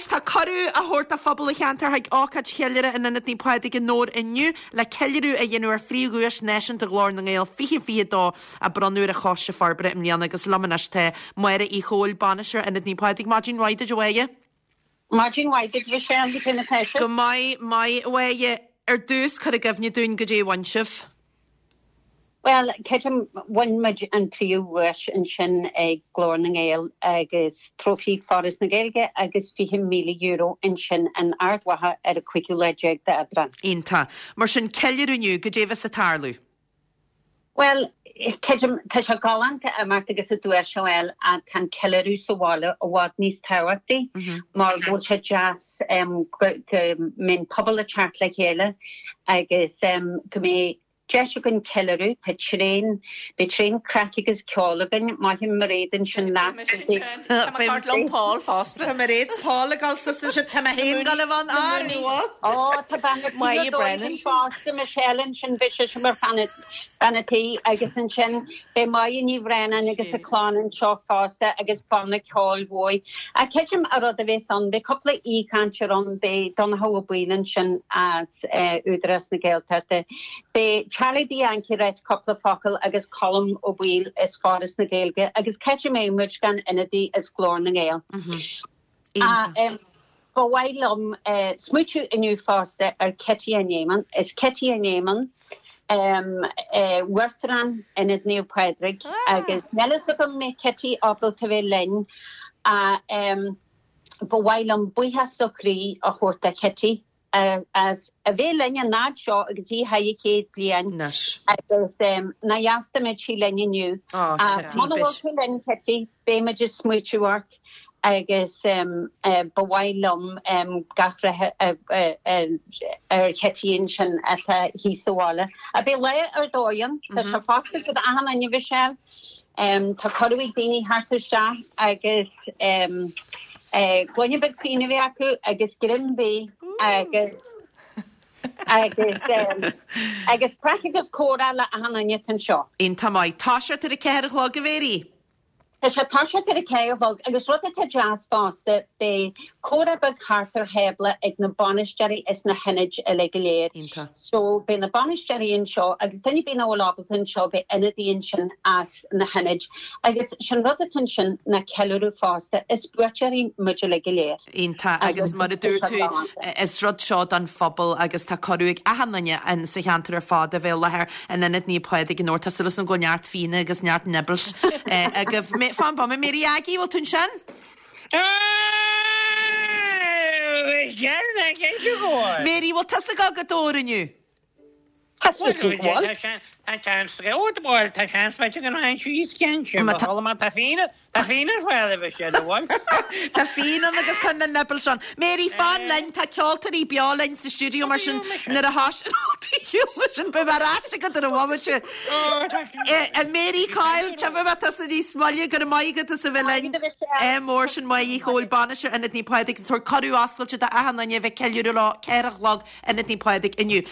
Éist, tá cuireadh á thabhairt do phobal an cheantair chuig ócáid cheiliúrtha in Ionad Naomh Pádraig i nDobhar inniu le ceiliúradh a dhéanamh ar phríomhdhuais náisiúnta Ghlór na nGael 2022 a bronnadh ar an Choiste Forbartha i mbliana agus liom anois tá Máire Uí Chomhaill, Bainisteoir Ionad Naomh Pádraig. Maidin mhaith duit a Mháire. Maidin mhaith duit Michelle, cad é mar atá sibh? Go maith, maith a Mháire. Ar dtús, cuir i gcuimhne dúinn goidé a bhain sibh. Bhuel, creidim, bhain muid an príomhdhuais ansin ag Glór na nGael agus trófaí Foras na Gaeilge agus €20,000 ansin in Ard Mhacha ar an cúigiú lá déag d'Aibreán. Iontach. Mar sin, ceiliúradh inniu, goidé a bheas ag tarlú? Bhuel, creidim, tá sé galánta imeacht agus an duais a fháil ach tá an ceiliúradh sa bhaile i bhfad níos tábhachtaí mar go bhfuil sé deas go mbeidh an pobal ag teacht le chéile agus go mbeidh deis againn ceiliúradh. Tá tréan, beidh tréan craic agus ceol againn. Maith Mairéad ansin leat. Tá mé ag liom Paul fosta. Tá Mairéad 's Paul ag dul suas ansin. Tá mé féin ag dul a bheith ann. Ar bhfuil? Ó, tá bean na Maith Brennan. fosta, Michelle ansin, bhí sise mar bhean an tí agus ansin beidh Máire Ní Bhraonáin agus a clann anseo fosta agus banna ceoil uaidh. Ach creidim an rud a bheas ann, beidh cúpla aoichainteoir ann, beidh Donncha Ó Baoill ansin as Údarás na Gaeltachta, beidh Charlie Bianchi ag ráit cúpla focal agus Colm Ó Baoill as Foras na Gaeilge agus cá mbeadh muid gan ionadaí as Glór na nGael. Iontach. Ba mhaith liom smaoitiú inniu fosta ar Kitty an Éamonn. Is Kitty an Éamonn Uachtarán Ionad Naomh Pádraig agus níl fhios agam an mbeidh Kitty ábalta bheith linn ach ba mhaith liom buíochas ó chroí a thabhairt do Kitty as a bheith linn an fhad seo agus í thar a chéad bliain agus nár dheas dá mbeadh sí linn inniu. Ach muna bhfuil tú linn Kitty, beidh muid ag smaoitiú ort agus ba mhaith liom gach rath ar Chití ansin atá thíos sa bhaile. Ach beidh lá ar dóigh ann, tá sé foscailte d'achan duine Michelle. Tá cuireadh ag daoine theacht isteach agus gloine beag fíona a bheith acu agus greim bídh agus agus agus craic agus comhrá le achan duine atá anseo. Iontach maith. Toiseacht ar a ceathair a chlog, a Mhéirí? Tá sé toiseacht ar a ceathair a chlog agus rud atá deas fosta, beidh comhrá beag thart ar thábla ag na bainisteoirí is na hionaid uilig go léir. Iontach. So beidh na bainisteoirí anseo agus duine ar bith nach bhfuil ábalta anseo beidh ionadaí ansin as na hionaid agus sin rud atá ansin ná ceiliúradh fosta. Is buaiteoirí muid uilig go léir. Iontach agus mar a dúirt tú is rud seo don phobal agus tá cuireadh ag achan duine in sa cheantar ar fad a bheith i láthair in Ionad Naomh Pádraig i nDobhar. Tá súil agam go bhfuil neart fíona agus neart nibbles agaibh. Fan bomaite, Mary Aggie, bhfuil tú ansin? Mary, bhfuil tusa ag dul go Dobhar inniu? Tá seans Tá seans bhuel tá seans b'fhéidir go mbeidh síos cinnte Má tá má tá fíon tá fíon ar fáil a bheidh siad amháin. Tá fíon ann agus tá na nibbles ann. Mary, fan linn, tá ceoltóirí beo linn sa stiúideo mar sin nuair a thosaíonn sin beidh mé ar ais agat ar an bhomaite. Mary Coyle, tiocfaidh mé tusa níos moille, go raibh maith agat as a bheith linn. Ádh mór sin Máire Uí Chomhaill, Bainisteoir Ionad Naomh Pádraig, ag tabhairt cuireadh oscailte d'achan duine a bheith ag ceiliúradh leo, 4 a chlog, Ionad Naomh Pádraig inniu.